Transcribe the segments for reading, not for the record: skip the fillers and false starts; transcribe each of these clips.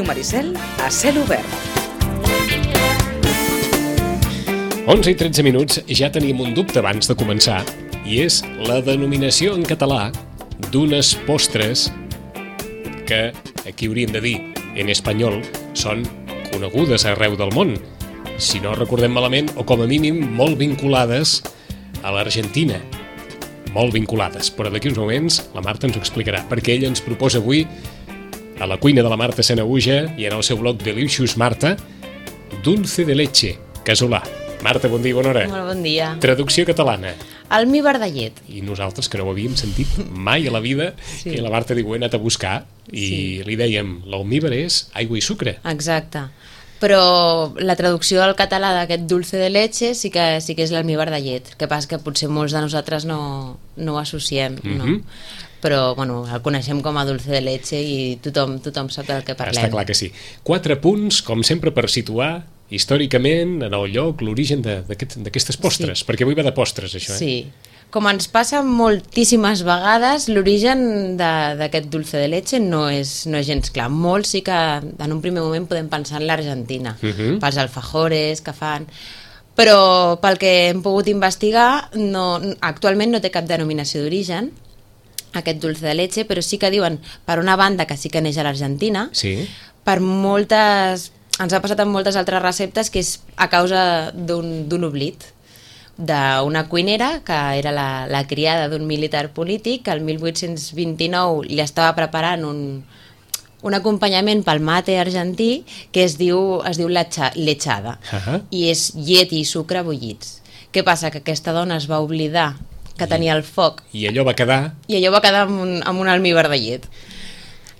Ràdio Maricel a cel obert. 11 i 13 minuts, ja tenim un dubte abans de començar, i és la denominació en català d'unes postres que, aquí hauríem de dir, en espanyol, són conegudes arreu del món. Si no recordem malament, o com a mínim molt vinculades a l'Argentina. Molt vinculades, però d'aquí uns moments la Marta ens ho explicarà, perquè ella ens proposa avui, a la cuina de la Marta Sanaüja i en el seu blog Delicious Marta, dulce de leche, casolà. Marta, bon dia, bona hora. Molt bon dia. Traducció catalana. Almíbar de llet. I nosaltres, que no ho havíem sentit mai a la vida, sí. I la Marta diu, he anat a buscar, i sí. Li dèiem, l'almíbar és aigua i sucre. Exacte. Però la traducció al català d'aquest dulce de leche sí que és l'almíbar de llet. El que passa que potser molts de nosaltres no ho associem, no? Però bueno, el coneixem com a dulce de leche i tothom sap del que parlem. Està clar que sí. 4 punts, com sempre, per situar històricament en el lloc, l'origen d'aquestes postres, sí. Perquè avui va de postres, això, Sí. Com ens passa moltíssimes vegades, l'origen d'aquest dulce de leche no és gens clar. Molts sí que en un primer moment podem pensar en l'Argentina, pels alfajores que fan, però pel que hem pogut investigar, actualment no té cap denominació d'origen, aquest dulce de leche, però sí que diuen, per una banda, que sí que neix a l'Argentina, sí. Per moltes... Ens ha passat amb moltes altres receptes que és a causa d'un oblit d'una cuinera que era la criada d'un militar polític que el 1829 li estava preparant un acompanyament pel mate argentí que es diu lechada i és llet i sucre bullits. Què passa? Que aquesta dona es va oblidar que tenia el foc i allò va quedar amb un almíbar de llet.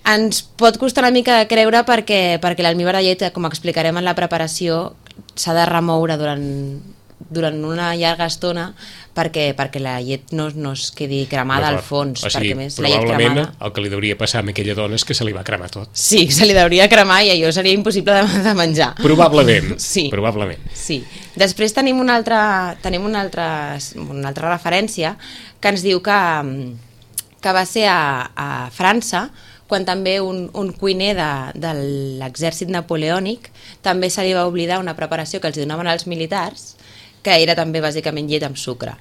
Ens pot costar una mica de creure perquè l'almíbar de llet, com explicarem en la preparació, s'ha de remoure durant una llarga estona perquè la llet no es quedi cremada al fons. O sigui, més probablement el que li hauria passar a aquella dona és que se li va cremar tot. Sí, se li hauria cremar i allò seria impossible de menjar. Probablement. Sí. Probablement. Sí. Després tenim una altra referència que ens diu que va ser a França, quan també un cuiner de l'exèrcit napoleònic també se li va oblidar una preparació que els donaven als militars, que era també bàsicament llet amb sucre.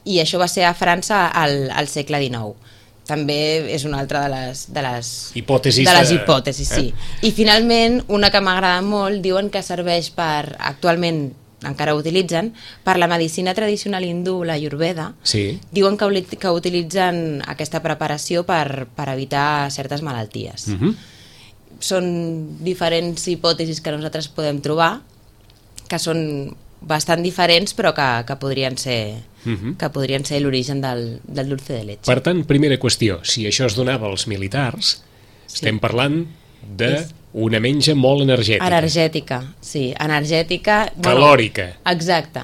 I això va ser a França al segle XIX. També és una altra de les hipòtesis, sí. I finalment, una que m'agrada molt, diuen que serveix actualment encara ho utilitzen, per la medicina tradicional hindú, la Ayurveda, sí. Diuen que utilitzen aquesta preparació per evitar certes malalties. Són diferents hipòtesis que nosaltres podem trobar, que són bastant diferents, però que podrien ser l'origen del dulce de leche. Per tant, primera qüestió, si això es donava als militars, estem parlant d'una menja molt energètica. Energètica, sí, energètica. Calòrica. Exacte.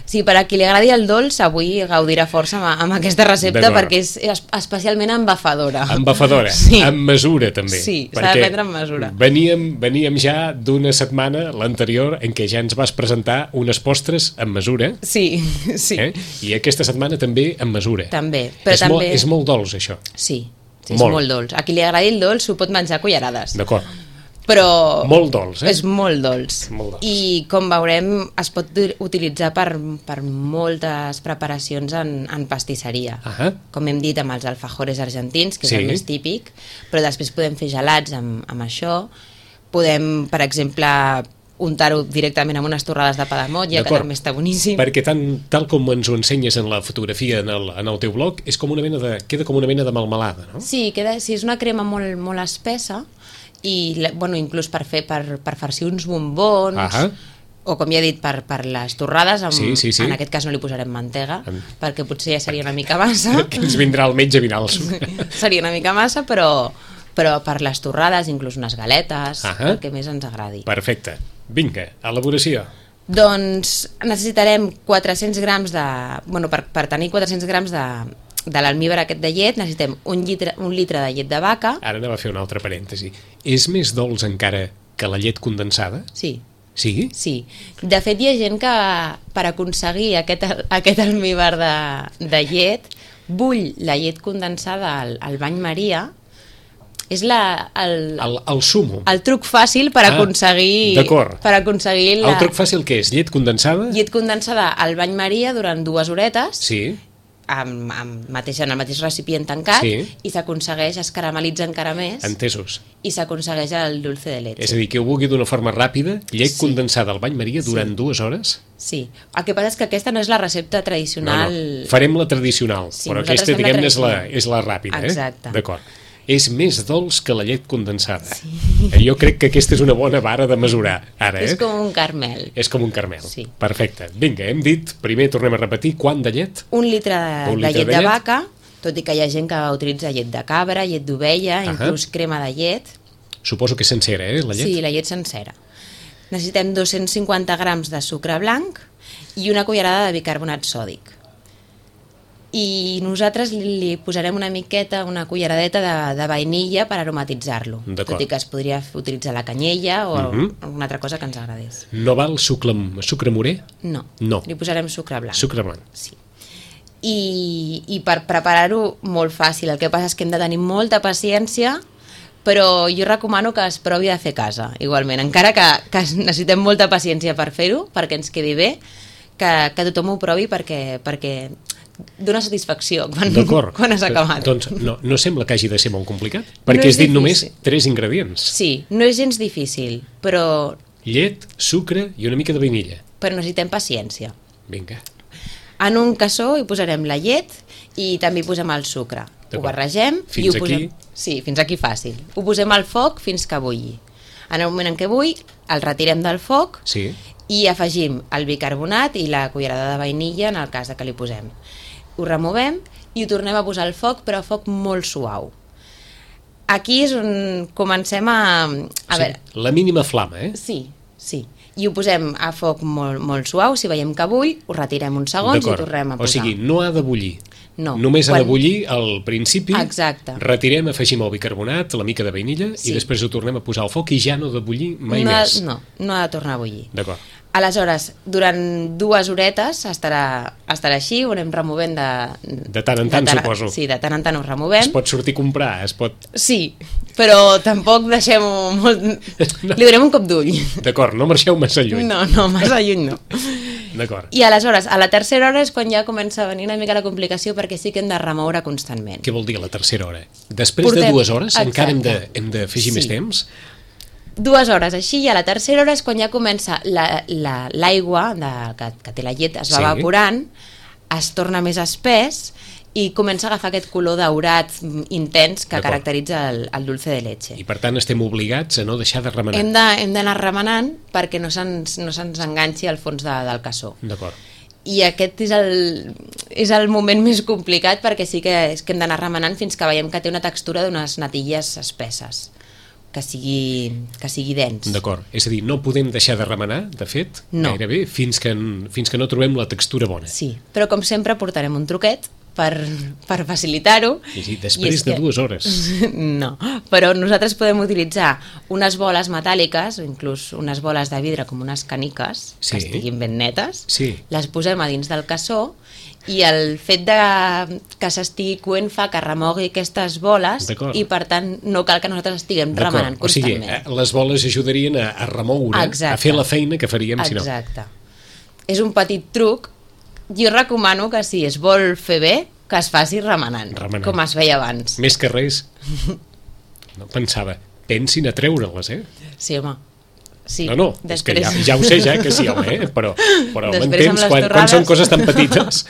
Sí, per a qui li agradi el dolç, avui gaudirà força amb aquesta recepta perquè és especialment embafadora. Embafadora, sí. Amb mesura també. Sí, s'ha de prendre amb mesura. Veníem ja d'una setmana, l'anterior, en què ja ens vas presentar unes postres amb mesura. Sí. I aquesta setmana també amb mesura. També. És molt dolç, això. Sí, és molt dolç. A qui li agradi el dolç s'ho pot menjar a cullerades. D'acord. Però molt dolç, és molt dolç. I com veurem es pot utilitzar per moltes preparacions en pastisseria. Com hem dit, amb els alfajores argentins, que és el més típic, però després podem fer gelats amb això. Podem, per exemple, untar-ho directament amb unes torrades de pa de motlla, que també està boníssim. Perquè tal com ens ho ensenyes en la fotografia en el teu blog, és com queda com una mena de melmelada, no? Sí, és una crema molt espessa i inclús per farcir uns bombons o com ja he dit per les torrades en aquest cas no li posarem mantega perquè potser ja seria una mica massa que ens vindrà el metge a mirar el suc. Seria una mica massa però per les torrades, inclús unes galetes, el que més ens agradi. Perfecte. Vinga, elaboració. Doncs necessitarem 400 grams per tenir 400 grams de l'almíbar aquest de llet necessitem un litre de llet de vaca. Ara anava a fer un altre parèntesi. És més dolç encara que la llet condensada? Sí. Sí? Sí. De fet, hi ha gent que per aconseguir aquest almíbar de llet bull la llet condensada al bany Maria És El sumo. el truc fàcil per aconseguir... D'acord. Per aconseguir El truc fàcil què és? Llet condensada? Llet condensada al bany Maria durant 2 horetes, Sí. en el mateix recipient tancat, Sí. i s'aconsegueix, es caramelitza encara més, Entesos. i s'aconsegueix el dulce de leche. És a dir, que ho vulgui d'una forma ràpida, llet Sí. condensada al bany Maria durant 2 hores? Sí, el que passa és que aquesta no és la recepta tradicional... No. Farem la tradicional, Sí, però nosaltres aquesta, fem la diguem-ne, tradicional. és la ràpida. Exacte. D'acord. És més dolç que la llet condensada. Sí. Jo crec que aquesta és una bona vara de mesurar, ara, És com un carmel. És com un carmel. Sí. Perfecte. Vinga, hem dit, primer tornem a repetir, quant de llet? 1 litre de, Un de litre llet de de llet. vaca, tot i que hi ha gent que utilitza llet de cabra, llet d'ovella, inclús crema de llet. Suposo que sencera, la llet? Sí, la llet sencera. Necessitem 250 grams de sucre blanc i una cullerada de bicarbonat sòdic. I nosaltres li posarem una miqueta, una culleradeta de vainilla per aromatitzar-lo. D'acord. Tot i que es podria utilitzar la canyella o alguna altra cosa que ens agradés. No val sucre morè? No, No. li posarem sucre blanc. Sucre blanc. Sí. I per preparar-ho molt fàcil. El que passa és que hem de tenir molta paciència, però jo recomano que es provi a fer a casa, igualment. Encara que necessitem molta paciència per fer-ho, perquè ens quedi bé, que tothom ho provi perquè dona satisfacció quan has acabat. Doncs no sembla que hagi de ser molt complicat, perquè No has és dit difícil. només 3 ingredients. Sí, no és gens difícil, però Llet, sucre i una mica de vainilla. necessitem paciència. Vinga. En un cassó hi posarem la llet i també hi posem el sucre. Ho D'acord. barregem Fins i ho posem... aquí? Sí, fins aquí fàcil. Ho posem al foc fins que bulli. En el moment en què bulli, el retirem del foc Sí. i afegim el bicarbonat i la cullerada de vainilla en el cas de que li posem. Ho removem i ho tornem a posar al foc, però a foc molt suau. Aquí és on comencem a veure... La mínima flama, Sí. I ho posem a foc molt, molt suau. Si veiem que bull, ho retirem uns segons i ho tornem a posar. O sigui, no ha de bullir. No. Només ha de bullir al principi, Exacte. retirem, afegim el bicarbonat, la mica de vainilla i després ho tornem a posar al foc i ja no ha de bullir mai més. No ha de tornar a bullir. D'acord. Aleshores, durant 2 horetes estarà així, ho anem removent De tant en tant, suposo. Sí, de tant en tant ho removem. Es pot sortir a comprar, es pot... Sí, però tampoc deixem-ho molt... Li donem un cop d'ull. D'acord, no marxeu massa lluny. No, massa lluny no. D'acord. I aleshores, a la tercera hora és quan ja comença a venir una mica la complicació, perquè sí que hem de remoure constantment. Què vol dir a la tercera hora? Després de 2 hores encara hem d'afegir més temps? 2 hores així, i a la tercera hora és quan ja comença l'aigua que té la llet, es va evaporant, es torna més espès i comença a agafar aquest color daurat intens que caracteritza el dulce de leche. I per tant estem obligats a no deixar de remenar. Hem d'anar remenant perquè no se'ns enganxi al fons del cassó. D'acord. I aquest és el moment més complicat, perquè sí que hem d'anar remenant fins que veiem que té una textura d'unes natilles espesses, que sigui dens. D'acord, és a dir, no podem deixar de remenar, de fet, gairebé, fins que no trobem la textura bona. Sí, però com sempre portarem un truquet per facilitar-ho. I després de 2 hores. No, però nosaltres podem utilitzar unes boles metàl·liques, o inclús unes boles de vidre com unes caniques, que estiguin ben netes, les posem a dins del cassó, i el fet que s'estigui coent fa que remogui aquestes boles i per tant no cal que nosaltres estiguem remenant constantment. O sigui, les boles ajudarien a remoure, a fer la feina que faríem si no. Exacte. És un petit truc. Jo recomano que si es vol fer bé, que es faci remenant. Com es feia abans. Més que res, no pensava, pensin a treure-les, Sí, home. Sí. No, és que ja ho sé, que sí, home, però m'entens, quan són coses tan petites,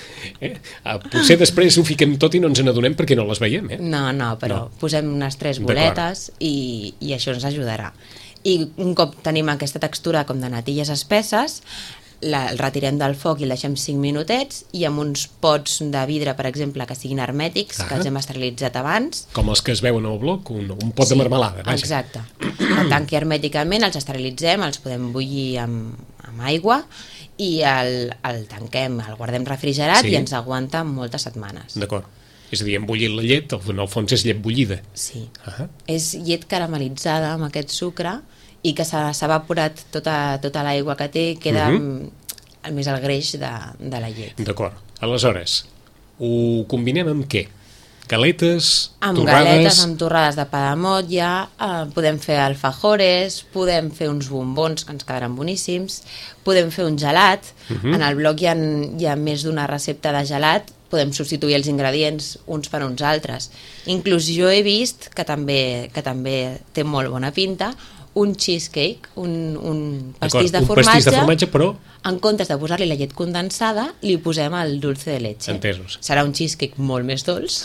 potser després ho fiquem tot i no ens n'adonem perquè no les veiem. No, però posem unes 3 boletes i això ens ajudarà. I un cop tenim aquesta textura com de natilles espesses, el retirem del foc i el deixem 5 minutets, i amb uns pots de vidre, per exemple, que siguin hermètics, que els hem esterilitzat abans. Com els que es veuen al bloc, un pot de marmelada, vaja. Exacte. El tanqui hermèticament, els esterilitzem, els podem bullir amb aigua i el tanquem, el guardem refrigerat i ens aguanta moltes setmanes. D'acord. És a dir, hem bullit la llet, en el fons és llet bullida. Sí. És llet caramelitzada amb aquest sucre i que s'ha evaporat tota l'aigua que té, queda més el greix de la llet. D'acord. Aleshores, ho combinem amb què? galetes, amb torrades... galetes, amb torrades de pa de motlla, podem fer alfajores, podem fer uns bombons que ens quedaran boníssims, podem fer un gelat. En el blog hi ha més d'una recepta de gelat, podem substituir els ingredients uns per uns altres. Inclús jo he vist, que també té molt bona pinta, un cheesecake, un pastís de formatge. Un pastís de formatge, però... En comptes de posar-li la llet condensada, li posem el dulce de leche. Entesos. Serà un cheesecake molt més dolç,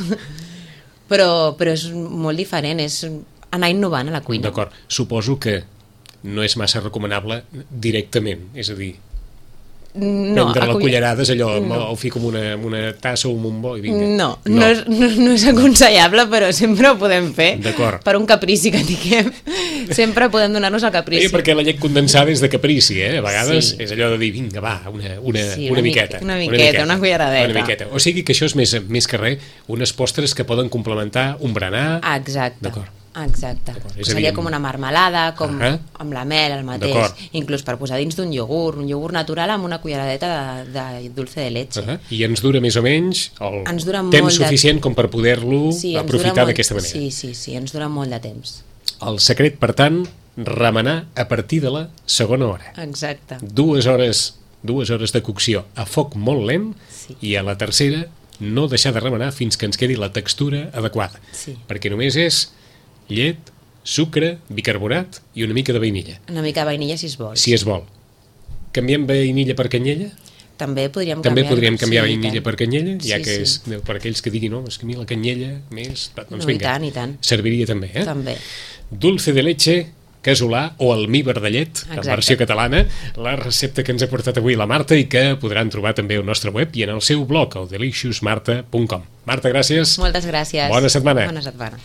però és molt diferent, és anar innovant a la cuina. D'acord. Suposo que no és massa recomanable directament, és a dir, prendre la cullerada és allò, ho fico en una tassa o en un bol i vinga. No és aconsellable, però sempre ho podem fer. D'acord. Per un caprici que tinguem, sempre podem donar-nos el caprici. Perquè la llet condensada és de caprici, a vegades és allò de dir, vinga, va, una miqueta. Una culleradeta. Una miqueta. O sigui que això és més que res unes postres que poden complementar un berenar. Exacte. D'acord. Exacte. Seria com una marmelada, com amb la mel, el mateix. Inclús per posar dins d'un iogurt, un iogurt natural amb una culleradeta de dulce de leche. I ens dura més o menys el temps suficient com per poder-lo aprofitar d'aquesta manera. Sí, ens dura molt de temps. El secret, per tant, remenar a partir de la segona hora. Exacte. 2 hores de cocció a foc molt lent i a la tercera no deixar de remenar fins que ens quedi la textura adequada. Perquè només és llet, sucre, bicarbonat i una mica de vainilla. Una mica de vainilla, si es vol. Si es vol. Canviem vainilla per canyella? També podríem canviar vainilla per canyella, ja que és per aquells que diguin, no, és que a mi la canyella més... Doncs vinga, i tant. Serviria també, També. Dulce de leche casolà o almíbar de llet, en versió catalana, la recepta que ens ha portat avui la Marta i que podran trobar també al nostre web i en el seu blog, el deliciousmarta.com. Marta, gràcies. Moltes gràcies. Bona setmana. Bona setmana.